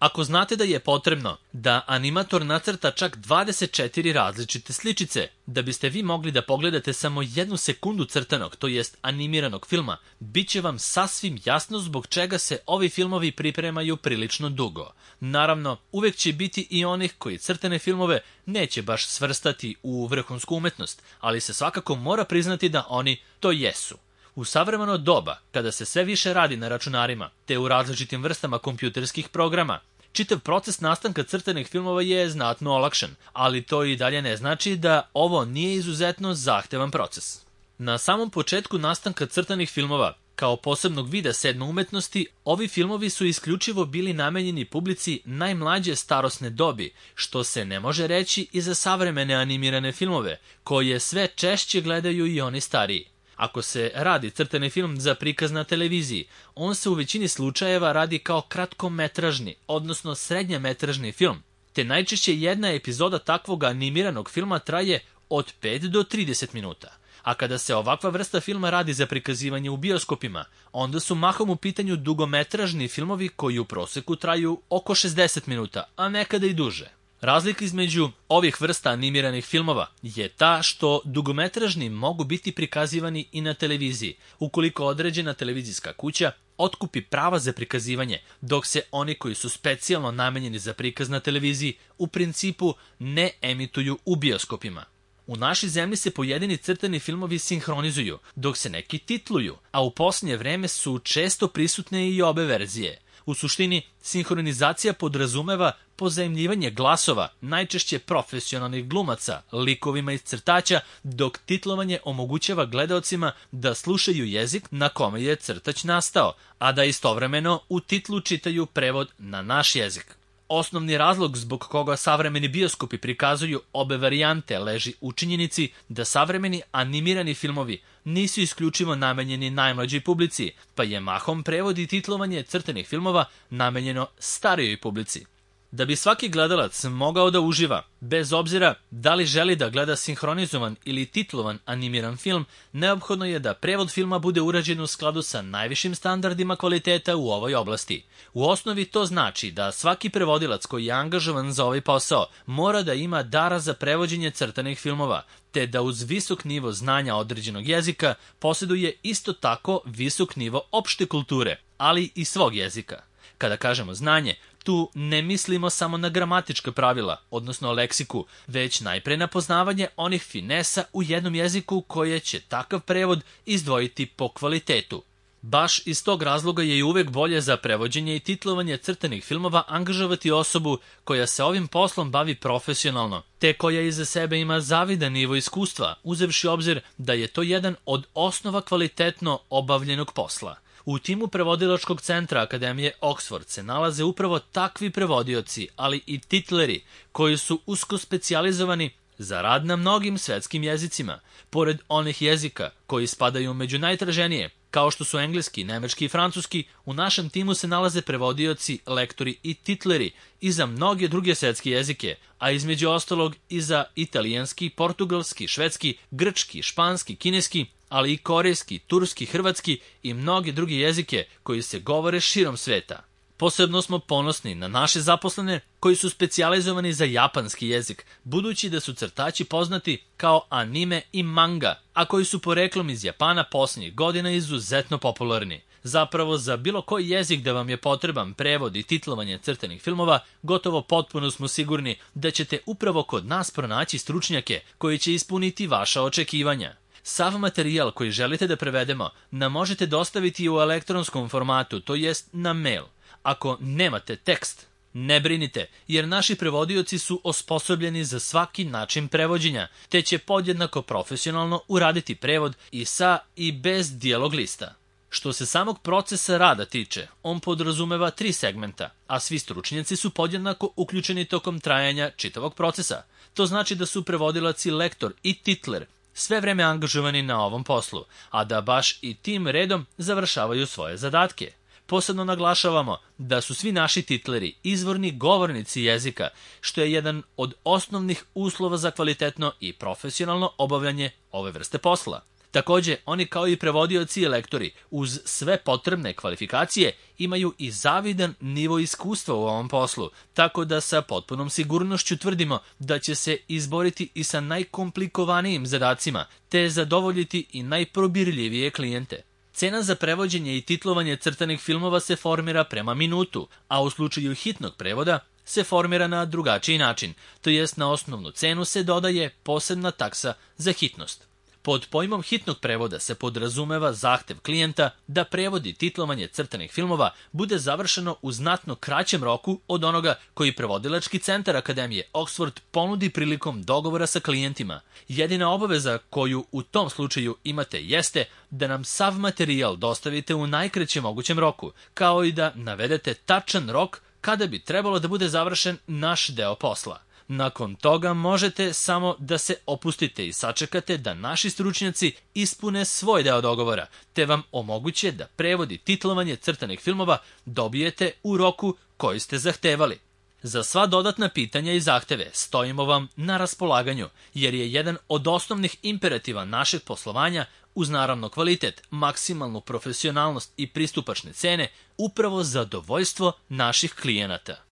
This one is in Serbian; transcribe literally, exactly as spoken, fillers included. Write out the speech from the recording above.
Ako znate da je potrebno da animator nacrta čak dvadeset četiri različite sličice, da biste vi mogli da pogledate samo jednu sekundu crtanog, to jest animiranog filma, bit će vam sasvim jasno zbog čega se ovi filmovi pripremaju prilično dugo. Naravno, uvek će biti i onih koji crtane filmove neće baš svrstati u vrhunsku umetnost, ali se svakako mora priznati da oni to jesu. U savremeno doba, kada se sve više radi na računarima, te u različitim vrstama kompjuterskih programa, čitav proces nastanka crtanih filmova je znatno olakšan, ali to i dalje ne znači da ovo nije izuzetno zahtevan proces. Na samom početku nastanka crtanih filmova, kao posebnog vida sedme umetnosti, ovi filmovi su isključivo bili namenjeni publici najmlađe starosne dobi, što se ne može reći i za savremene animirane filmove, koje sve češće gledaju i oni stariji. Ako se radi crtani film za prikaz na televiziji, on se u većini slučajeva radi kao kratkometražni, odnosno srednjemetražni film, te najčešće jedna epizoda takvog animiranog filma traje od pet do trideset minuta. A kada se ovakva vrsta filma radi za prikazivanje u bioskopima, onda su mahom u pitanju dugometražni filmovi koji u proseku traju oko šezdeset minuta, a nekada i duže. Razlika između ovih vrsta animiranih filmova je ta što dugometražni mogu biti prikazivani i na televiziji, ukoliko određena televizijska kuća otkupi prava za prikazivanje, dok se oni koji su specijalno namenjeni za prikaz na televiziji u principu ne emituju u bioskopima. U našoj zemlji se pojedini crtani filmovi sinhronizuju, dok se neki titluju, a u posljednje vreme su često prisutne i obe verzije. U suštini, sinhronizacija podrazumeva pozajmljivanje glasova, najčešće profesionalnih glumaca, likovima iz crtača, dok titlovanje omogućava gledaocima da slušaju jezik na kome je crtač nastao, a da istovremeno u titlu čitaju prevod na naš jezik. Osnovni razlog zbog koga savremeni bioskopi prikazuju obe varijante leži u činjenici da savremeni animirani filmovi nisu isključivo namenjeni najmlađoj publici, pa je mahom prevod i titlovanje crtanih filmova namenjeno starijoj publici. Da bi svaki gledalac mogao da uživa, bez obzira da li želi da gleda sinhronizovan ili titlovan animiran film, neophodno je da prevod filma bude urađen u skladu sa najvišim standardima kvaliteta u ovoj oblasti. U osnovi to znači da svaki prevodilac koji je angažovan za ovaj posao mora da ima dara za prevođenje crtanih filmova, te da uz visok nivo znanja određenog jezika posjeduje isto tako visok nivo opšte kulture, ali i svog jezika. Kada kažemo znanje, tu ne mislimo samo na gramatička pravila, odnosno leksiku, već najpre na poznavanje onih finesa u jednom jeziku koje će takav prevod izdvojiti po kvalitetu. Baš iz tog razloga je i uvek bolje za prevođenje i titlovanje crtanih filmova angažovati osobu koja se ovim poslom bavi profesionalno, te koja iza sebe ima zavidan nivo iskustva, uzevši obzir da je to jedan od osnova kvalitetno obavljenog posla. U timu prevodilačkog centra Akademije Oxford se nalaze upravo takvi prevodioci, ali i titleri koji su usko specijalizovani za rad na mnogim svetskim jezicima. Pored onih jezika koji spadaju među najtraženije, kao što su engleski, nemački i francuski, u našem timu se nalaze prevodioci, lektori i titleri i za mnoge druge svetske jezike, a između ostalog i za italijanski, portugalski, švedski, grčki, španski, kineski, ali i korejski, turski, hrvatski i mnoge druge jezike koji se govore širom sveta. Posebno smo ponosni na naše zaposlene koji su specijalizovani za japanski jezik, budući da su crtači poznati kao anime i manga, a koji su poreklom iz Japana posljednjih godina izuzetno popularni. Zapravo, za bilo koji jezik da vam je potreban prevod i titlovanje crtanih filmova, gotovo potpuno smo sigurni da ćete upravo kod nas pronaći stručnjake koji će ispuniti vaša očekivanja. Sav materijal koji želite da prevedemo nam možete dostaviti u elektronskom formatu, to jest na mail. Ako nemate tekst, ne brinite, jer naši prevodioci su osposobljeni za svaki način prevođenja, te će podjednako profesionalno uraditi prevod i sa i bez dijalog lista. Što se samog procesa rada tiče, on podrazumeva tri segmenta, a svi stručnjaci su podjednako uključeni tokom trajanja čitavog procesa. To znači da su prevodilac i lektor i titler sve vreme angažovani na ovom poslu, a da baš i tim redom završavaju svoje zadatke. Posebno naglašavamo da su svi naši titleri izvorni govornici jezika, što je jedan od osnovnih uslova za kvalitetno i profesionalno obavljanje ove vrste posla. Takođe, oni kao i prevodioci i lektori, uz sve potrebne kvalifikacije, imaju i zavidan nivo iskustva u ovom poslu, tako da sa potpunom sigurnošću tvrdimo da će se izboriti i sa najkomplikovanijim zadacima, te zadovoljiti i najprobirljivije klijente. Cena za prevođenje i titlovanje crtanih filmova se formira prema minutu, a u slučaju hitnog prevoda se formira na drugačiji način, to jest na osnovnu cenu se dodaje posebna taksa za hitnost. Pod pojmom hitnog prevoda se podrazumeva zahtev klijenta da prevod i titlovanje crtanih filmova bude završeno u znatno kraćem roku od onoga koji prevodilački centar Akademije Oxford ponudi prilikom dogovora sa klijentima. Jedina obaveza koju u tom slučaju imate jeste da nam sav materijal dostavite u najkraćem mogućem roku, kao i da navedete tačan rok kada bi trebalo da bude završen naš deo posla. Nakon toga možete samo da se opustite i sačekate da naši stručnjaci ispune svoj deo dogovora, te vam omoguće da prevod i titlovanje crtanih filmova dobijete u roku koji ste zahtevali. Za sva dodatna pitanja i zahteve stojimo vam na raspolaganju, jer je jedan od osnovnih imperativa našeg poslovanja, uz naravno kvalitet, maksimalnu profesionalnost i pristupačne cene, upravo zadovoljstvo naših klijenata.